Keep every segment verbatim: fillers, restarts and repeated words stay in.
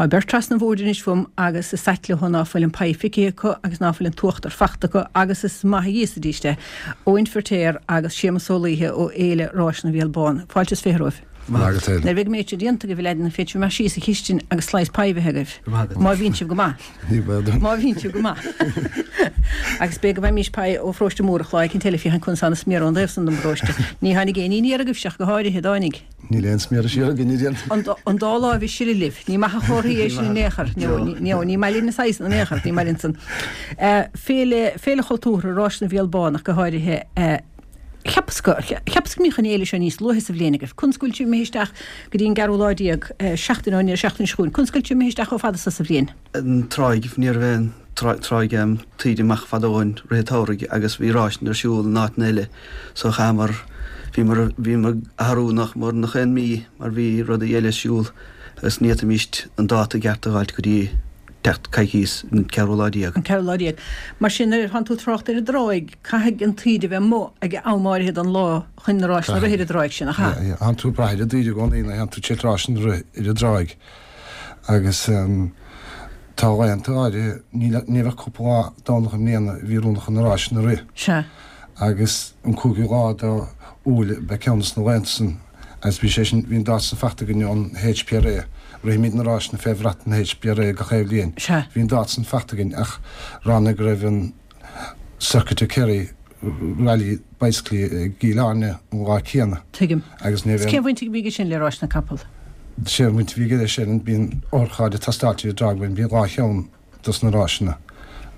Tá beirt trasna an bhoird anois fúm agus is ait leo ná fuil an pie feicthe acu agus ná fuil an t-uachtar fachta acu agus is maith a íosfaidís é. Eoin Firtéar agus Séamus Ó Laoithe ó Fhéile Ráiseanna Bhéal Bán. Fáilte is fiche romhaibh. Maith agat. Nuair a bheidh an méid seo déanta agaibh, a leaideanna, féadfaidh sibh imeacht síos sa chistin agus slice pie a bheith agaibh. Má bhíonn sibh go maith. Má bhíonn sibh go maith. Agus b'fhéidir go bhfaighimís pie ó pharóiste Múrach lá éicint eile, féachaint conas tá na sméara ón dtaobh san den bparóiste. Ní tháinig aon ní aniar agaibhse ach go háirithe, an dtáinig? Níl aon sméar siar againn a dhéanamh. An dá láimh ag sileadh libh. Ní maith an chomhartha é sin in aon chor. No, ní maith linn na saghas in aon chor, ní maith linn san. Féile, Féile Chultúrtha Ráiseanna Bhéal Bán ach go háirithe. Cheapas go, cheapas go mbíodh an fhéile seo níos luaithe sa bhliain agaibh. Conas go bhfuil sibh imithe isteach go dtí an gceathrú lá déag, seachtain ón ndeireadh seachtaine seo chugainn? Conas go bhfuil sibh imithe isteach chomh fada so sa bhliain? An tráigh, ní raibh aon tráigh taoide amach fadó ó shin rith an tsamhraidh agus bhí ráiseanna ar siúl in áiteanna eile so chaitheamar, bhíomar, bhíomar ag athrú nach mór nach aon mí mar bhí rudaí eile ar siúl agus ní fhéadfaimíst an dáta ceart a dh'fháilt go dtí teacht coicíos an ceathrú lá déag. An ceathrú lá déag. Mar sin, nuair a thánn tú ag trácht ar an dtráigh, caithfidh an taoide bheith amuigh ag am áirithe den lá chun na ráiseanna a rith ar an dtráigh sin, nach ea? Yeah, yeah. Thánn tú ag brath ar an dtaoide i gcónaí nuair a théann tú ag ráiseanna a rith ar an dtráigh. Agus tá laethanta áirithe, ní raibh ach cúpla lá Domhnach i mbliana a bhí oiriúnach chun na ráiseanna a rith. Sea. Agus an cúigiú lá de Iúil ab ea ceann des na laethanta san agus bhí sé sin, bhí an dáta san fachta againn ón HPRA, rithimid na ráiseanna fé bhrat an HPRA gach aon bhliain. Sea. Bhí an dáta san fachta againn ach ráinig go raibh an Circuit of Kerry Rally Bicycling i gCill Airne an lá céanna. Tuigim. Agus ní raibh aon. Cén bhaint a bhí aige sin le ráiseanna capall? Sé an bhaint a bhí aige leis sin, bíonn otharchairr ag tástáilt ar an dtráigh, bíonn dhá cheann dos na ráiseanna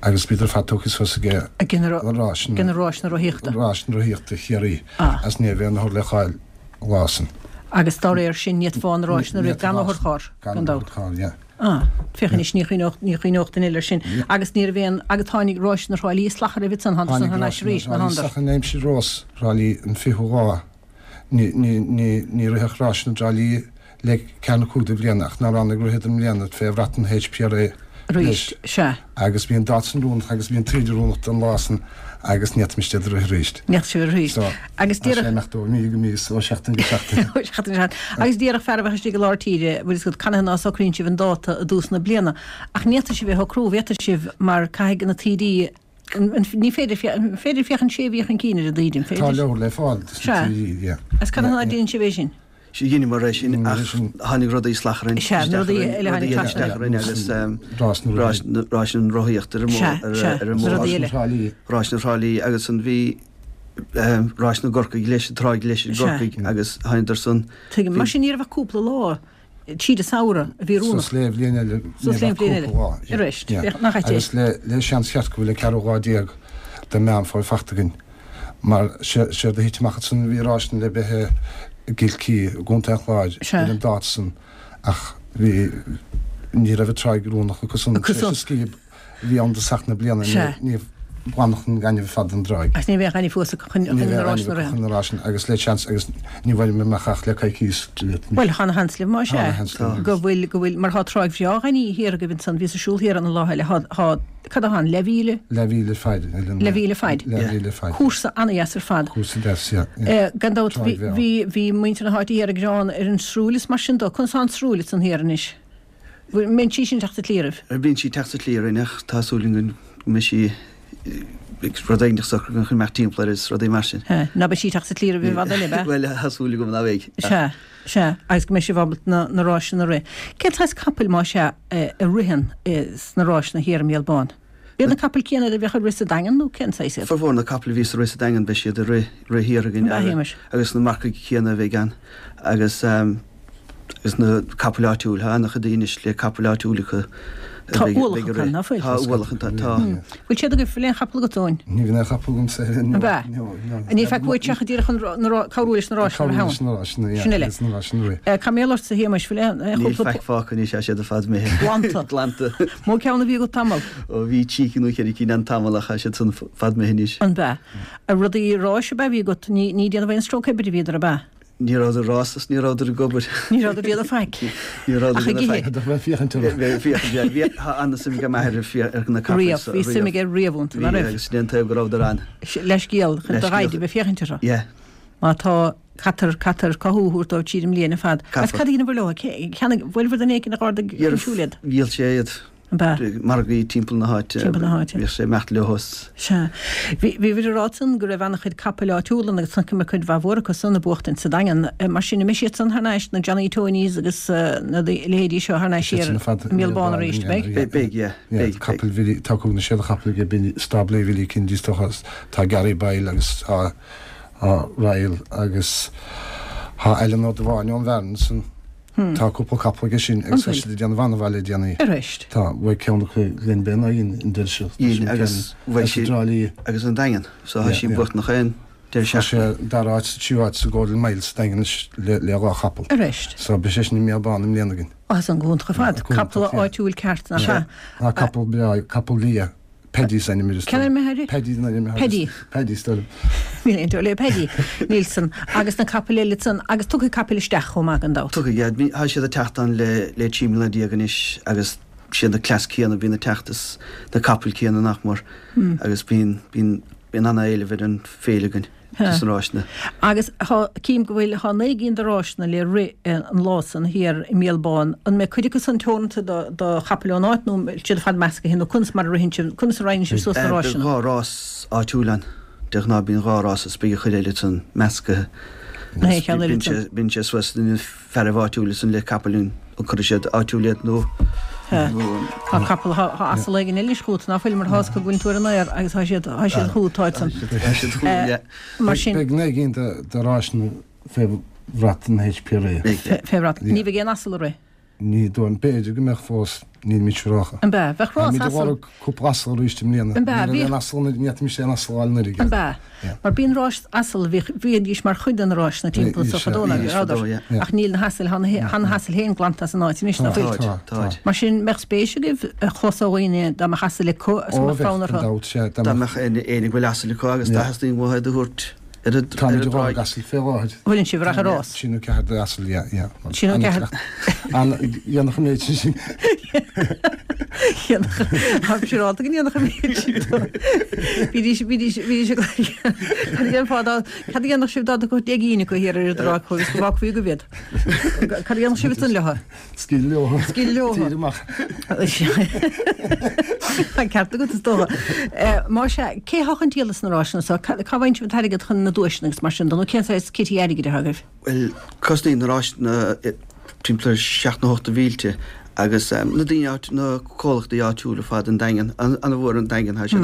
agus bhíodar ar fad tógtha suas ag Ag na ráiseanna ag na ráiseanna rothaíochta. Ráiseanna rothaíochta Chiarraí Ah. agus ní raibh aon othar le fáil an lá san. Agus dá réir sin ní fhéadfá na ráiseanna a rith gan otharcharr, Gan gan dabht. otharcharr, yeah. Ah, féach anois, ní chuimhneodh, ní chuimhneodh duine eile air sin. Agus ní raibh aon, agus tháinig ráiseanna Thrá Lí salachar roimhe san, thánadar san Tháinig thar n-ais ráiseanna arís, Thrá ná Lí thánadar? salachar in aimsir Rós Thrá Lí an fichiú lá. Ní, ní, ní, ní ritheadh ráiseanna Thrá Lí le ceathair nó cúig de bhliana ach nár ráinig ritheadar i mbliana fé bhrat an HPRA Arís, anois. sea. Agus bhí an dáta san oiriúnach agus bhí an taoide oiriúnach don lá san agus ní fhéadfaimis iad a rith arís. Ní fhéadfadh sibh arís. So, Agus tá sé déarfadh. imeacht ó mhí go mí is ó sheachtain go seachtain. Ó sheachtain go seachtain. Agus déarfadh fear a bheadh istigh i lár tíre, bhfuil fhios agat, canathaobh ná socraíonn sibh an dáta i dtús na bliana. Ach ní fhéadfadh sibh é a shocrú, bhféadfadh sibh mar caithfidh na taoidí, ní féidir, an féidir féachaint sé mhí chun cinn ar an dtaoide, an Tá féidir? leabhar le fáil dos na Sea. taoidí, yeah. Agus canathaobh ná déanann sibh é sin? Sea, dheineamar é sin Dheineamar ach é sin. tháinig rudaí salachar orainn, Sea, isteach rudaí orainn, eile rudaí tháinig eile trasna. isteach orainn agus Rás na ráis na ráis na rothaíochta ar an Sea, mbóthar, sea, ar an na mbóthar. rudaí eile. Ráis na Trá Lí. Ráis na Trá Lí agus an bhí ráis na gCorcaigh leis, an Tráigh leis i Sea. gCorcaigh agus thánadar san. Tuigim. Mar sin ní raibh ach cúpla lá tríd an samhradh a bhí oiriúnach. Suas le bhliain eile, ní Suas le raibh ach bhliain eile. cúpla lá. Arís, Yeah. féach nach ait é. Agus le le seans cheart go bhfuil an ceathrú lá déag de Meán Fómhair fachta againn. Mar séard a thit amach ansan bhí ráiseanna le bheith i gCill i gContae an Chláir ar an dáta san ach bhí ní raibh an tráigh oiriúnach acu san tar éis an scíob a bhí ann i dtosach na bliana ní ghlanfadh an gaineamh ar fad an dtráigh. Agus ní bheadh gaineamh fós acu chun Ní na bheadh ráiseanna gaineamh a acu rith. chun na ráiseanna agus le seans agus ní bhfuilim amach ach le coicíos. Bhuel, tá ana sheans libh más Tá ea. ana sheans linn. Go bhfuil, go bhfuil, mar tá tráigh bhreá ghainimh thiar agaibh ansan, bhíos ag siúl thiar ann an lá eile, tá, tá, Cad atá ann? Leathmhíle? Leathmhíle faid. Leathmhíle faid. Leathmhíle faid. Cúrsa ana-dheas ar fad. Cúrsa deas, yeah. yeah. Gan dabht, Tráigh bhreá. bhí, bhí muintir na háite thiar ag gearán ar an srúill is mar sin dó. Conas tá an srúill ansan thiar anois? Bhfuil, mbíonn sí sin ag teacht sa tslí oraibh? Bíonn sí ag teacht sa tslí orainn ach tá súil againn go mbeidh sí ag rud éigin socair chun imeacht timpeall air is rudaí mar sin. Sea. Ná beidh sí ag teacht sa tslí oraibh i bhfad eile, ab ea? Bhuel, tá súil agam ná beidh. Sea. Sea, agus go mbeidh sibh ábalta na, na ráiseanna a rith. Cén saghas capaill, más ea, a ritheann sna ráiseanna thiar i mBéal Bán? B'iad na capaill céanna iad a bheadh ag rith sa Daingean nó cén saghas iad? Formhór na capaill a bhíos ag rith sa Daingean beidh siad ag rith, rith thiar againn An ea, a Shéamais? agus na marcaigh céanna a bheidh ann agus agus na capaill áitiúil. Tá an-chuid daoine anois le capaill áitiúil acu a Tá bheidh, ualach bheidh ag acu, rith. ná fuil? Tá ualach ann, tá, tá. Bhfuil siad agaibh, bhfuil aon chapall agat, Eoin? Ní bhíonn aon chapall agamsa. Ab ea? Ní feic uait ach díreach chun cabhrú leis na ráiseanna a Cabhrú leis na ráiseanna, yeah. Sin uile. Leis na ráiseanna, rith. Cá mbeadh ortsa, a Shéamais, bhfuil aon Níl chúpla faic fágtha anois, tá siad ar fad imithe. Glanta. Glanta. Mó ceann a bhí agat tamall? Ó bhí trí cinn nó ceithre cinn ann tamall ach tá siad san fad imithe anois. An b'ea? Rudaí ráis ab ea a bhí agat? Ní ní déanamh aon stróic oibre a bhíodar, ab ea? Ní rabhadar ag rás is ní rabhadar ag obair. Ní rabhadar ag déanamh faic. Ní rabhadar Ach ag ag déanamh ithe. faic. Bheith ag féachaint orthu. Bheith ag féachaint, yeah. Bhí, tá an-suim ag m'athair ar fia- ar na capaill Riamh. so, Bhí suim riamh. aige riamh iontu, ná Bhí, raibh? agus sin é an taobh go rabhadar ann. Leithscéal, chun do Leithscéal. dhaid a bheith ag féachaint orthu. Yeah. Má tá Caithfear, caithfear cothú a thabhairt dóibh tríd an mbliain ar fad. Agus cad a dheineabhair leo? Cheannaigh, bhfuil duine éicint a d'ardaigh chun siúil iad? Dhíol sé iad. An b'ea? Margaí timpeall na háite. Timpeall na háite. Bhíodh sé ag imeacht leo is. Sea. Bhí, bhíobhair ag rá ansan go raibh an-chuid capaill áitiúla ann agus chonaic mé cuid mhaith mhór acu san ag buachtaint sa Daingean. Mar sin, an mbeidh siad san thar n-ais, na Johnny Tonys agus na leithéidí seo thar n-ais thiar i mBéal Bán arís, beidh? Beidh, beidh, yeah. Beidh. Capaill Bhilly, tá cúig nó sé de chapaill aige Billy, stáblaí Bhilly Kennedy is dócha, tá Gary Boyle agus tá Tá Ryle agus tá Alan Ó Dubháin ón Bhfearann ansan. Tá cúpla capall aige sin agus tá siad ag déanamh an-mhaith le déanaí. Arís. Tá, bhuaigh ceann acu Glenbeigh ná dhein an deireadh seo. Dhein agus bhuaigh sé agus an Daingean so tá sí buachtan chaon deireadh seachtaine. Tá sé dara háit sa tríú háit sa Golden Mile sa Daingean anois le le dhá chapall. Arís. So beidh sé sin i mBéal Bán i mbliana againn. Á tá san go hiontach ar fad. Capall áitiúil ceart nach ea? Tá capall breá, capall liath. Paddy is ainm air is Cén ainm atá air? Paddy an ainm atá air. Paddy. Paddy is dóigh liom. Níl aon dóigh le Paddy. Níl san. Agus na capaill eile san. Agus tiocfaidh capaill isteach chomh maith gan dabht. Tiocfaidh, yeah. Tá siad ag teacht ann le le trí mbliana déag anois agus siad na cleas céanna a bhíonn ag teacht is na capaill céanna nach mór agus bíonn bíonn bíonn ana-éileamh ar an féile againn. dos na ráiseanna. Agus thá, cím go bhfuil, thá naoi gcinn de ráiseanna le rith an lá san thiar i mBéal Bán. An mbeidh cuid acu san teoranta do, do chapaill ón áit nó an bhfuil siad ar fad meascaithe nó conas mar a ritheann sibh, conas a roinneann sibh suas na Beidh ráiseanna? dhá rás áitiúil ann. De ghnáth bíonn dhá rás is beidh an chuid eile san meascaithe. Na haon cheann eile Bíonn sé, san. bíonn sé suas na fearaibh áitiúla san le capaill an cuirfidh siad áitiúil iad nó Tá capall, tá asal éigin eile anois chugat, ná fuil, mar tá a fhios acu go bhfuil tú ar an aer agus tá siad, tá siad chugat, táid san. Tá siad chugam, yeah. Mar sin. Beidh naoi gcinn de ráiseanna fé bhrat an HPRA. Fé bhrat. Ní bheidh aon asal ag rith. Ní dóigh liom. B'fhéidir go mbeadh fós, nílimid siúrálta. An b'ea? Bheadh rás Táimid ag asal. lorg cúpla asal arís i mbliana. An b'ea? Ní raibh aon asal anuraidh, ní fhéadfaimis aon asal a fháil anuraidh. An b'ea? Mar bíonn ráis asal, bhíodh, bhídís mar chuid de na ráiseanna timpeall anso fadó, nach rabhadar? Ach níl na hasail, tá na, na hasail féin glanta as an áit anois, nach bhfuil? Tá, tá, tá. Mar sin, mbeadh spéis agaibh a chlos ó dhaoine dá mbeadh asail acu agus go Ó mbeadh bheadh, fonn gan orthu. dabht, sea, dá Dá mbeadh. mbeadh éinne a bhfuil asal acu agus dá theastaíonn uathu iad a thabhairt ar an Táimid ag lorg dtráigh. asail fé láthair. Bhfuileann sibh ar achar rás? Trí nó ceathair de asail, yeah, yeah. Trí nó ceathair. An dhéanfadh an méid sin sin. Dhéanfadh. Tá siúrálta go ndéanfadh an méid sin. Bhídís, bhídís, bhídís ag Cad a dhéanfá dá, cad a dhéanfadh sibh dá dtiocfadh deich gcinn acu thiar ar an dtráigh chugaibh agus go bhfágfaí agaibh iad? Cad a dhéanfadh sibh ansan leo? Scaoileadh leo. Scaoileadh leo. Tír amach. Tá ceart agat is dócha. Más ea, cé thá chun díola sna ráiseanna so? Cá bhfaigheann sibh an t-airgead chun na duaiseanna agus mar sin de nó cén saghas kitty airgid atá agaibh? Bhuel, cosnaíonn na ráiseanna timpeall ar seacht nó ocht de mhílte agus na daoine áit, na comhlachtaí áitiúla ar fad an Daingean, an-mhór an Daingean, tá siad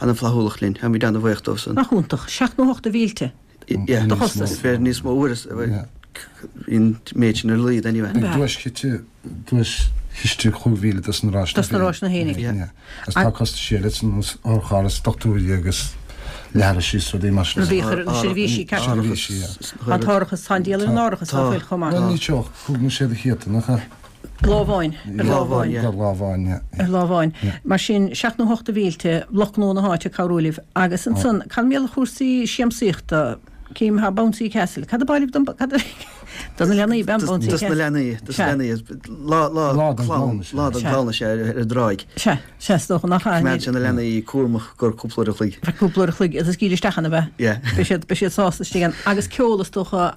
ana-fhlaithiúlach linn, táimid ana-bhuíoch dóibh san. Nach iontach, seacht nó ocht de mhílte de chostas. B'fhéidir níos mó uair, bhí an méid sin ar a laghad anyway. Beidh duaischiste, duaischiste chúig mhíle dos na ráiseanna Dos na ráiseanna fhéinig. Yeah. Agus tá costais eile ar nós otharcharr is dochtúirí agus leithris is rudaí mar sin. Rudaí a chuir na seirbhísí ceart. Seirbhísí, yeah. Tá an t-árachas, tá an díol ar an árachas ná fuil chomh maith. Bhuel ní seo, cúig nó sé de chéadta, nach ea? Lá amháin, ar lá amháin. Ar lá amháin, yeah. Ar lá amháin. Mar sin, seacht nó hocht de mhílte, lucht gnó na háite ag cabhrú libh. Agus ansan, cad mar gheall ar chúrsaí siamsaíochta? Cím, thá Bouncy Castle. Cad ab áil libh don, cad a, do na leanaí, b'ea an Bouncy Dos Castle? na leanaí, dos na Sea. leanaí. Lá, lá Lá don clann, gclann is ea. lá don Sea. gclann is ea ar ar an dtráigh. Sea, sea, is dócha nach ea. Coimeádann sé na leanaí cúramach gur cúpla uair a chloig. Feadh cúpla uair a chloig agus scaoileadh isteach ann, ab ea? Yeah. Beidh siad, beidh siad sásta istigh ann. Agus ceol is dócha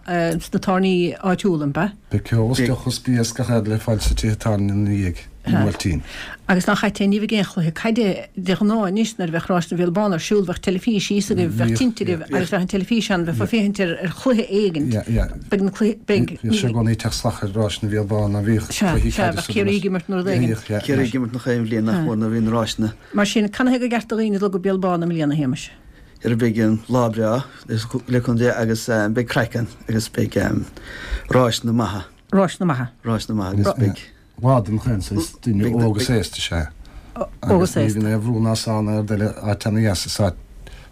sna tábhairní áitiúla, an b'ea? Beidh ceol is Beidh. deoch is bia is gach rud le fáil sa tithe tábhairne ina dhiaidh, i mBuailtín. Agus nach ait é, ní bheidh aon chluiche caide de ghnáth anois nuair a bheadh Ráis na bhFial Bán ar siúl, bheadh teilifís thíos agaibh, bheadh Bhíodh, tinte agaibh yeah. agus bheadh an teilifís ann, bheifeá ag féachaint ar ar chluiche éigin. Yeah, yeah. Beidh na cluichí, beidh, Bhíodh sé i gcónaí ag teacht salach ar Ráis na bhFial Bán, ná bhíodh Sea, cluichí sea, caide bheadh sa Ciarraí ag imirt nó rud éigin. Bhíodh, yeah. Ciarraí ag imirt nach aon bhliain nach mór nuair a bhí na ráiseanna. Mar sin, canathaobh gur ceart do dhaoine dul go Béal Bán i mbliana, a Shéamais? Ar beidh an lá breá le cúnamh Dé agus beidh craic ann agus beidh ráiseanna maithe. Ráiseanna maithe. Ráiseanna maithe agus beidh. Lá don chlann is duine óg is aosta is ea. Óg is Agus ní aosta. bhíonn aon bhrú ná sá ná aird eile áit ana-dheas is áit.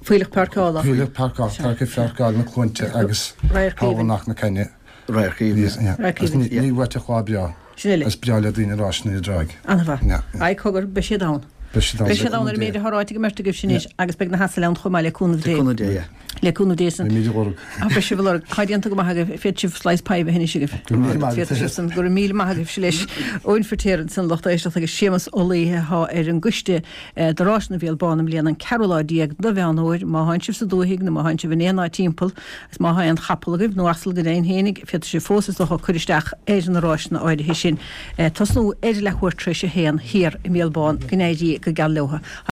Fuílleach páirceála. Fuílleach páirceála, tá aici pháirceáil na cluainte agus Radharc thabharfadh aoibhinn. nach na Cainne. Radharc aoibhinn. Yeah. Radharc Agus ní aoibhinn. ní bhuaiteach lá breá. Sin uile. Is breá le daoine ráiseanna ar an dtráigh. An-mhaith. Yeah, yeah. Aye, cogar, beidh siad ann. Beidh siad ann. Beidh siad ann ar an méid atá ráite ag an mbeirt agaibh sin anois agus beidh na hasail ann chomh maith le cúnamh Dé. Le cúnamh Dé, yeah. Le cúnamh Dé san. Beimid á lorg. Ah, beidh sibh á lorg. Tá déanta go maith agaibh. Féadfaidh sibh slice pie a bheith anois agaibh. Go raibh míle maith agat. Féadfaidh sibh san. Go raibh míle maith agaibhse leis. Eoin Firtéar ansan lucht éisteachta agus Séamus Ó Laoithe atá ar an gcoiste do Ráis na bhFial Bán i mbliana an ceathrú lá déag de Mheán Fhómhair. Má thánn sibh sa dúthaigh nó má thánn sibh in aon áit timpeall agus má thá aon chapall agaibh nó asal go deimhin fhéinig, féadfaidh sibh fós is dócha cur isteach ar na ráiseanna áirithe sin. Tosnú ar leathuair tar éis a haon thiar i mBéal Bán. Go n-éirí go geal leotha.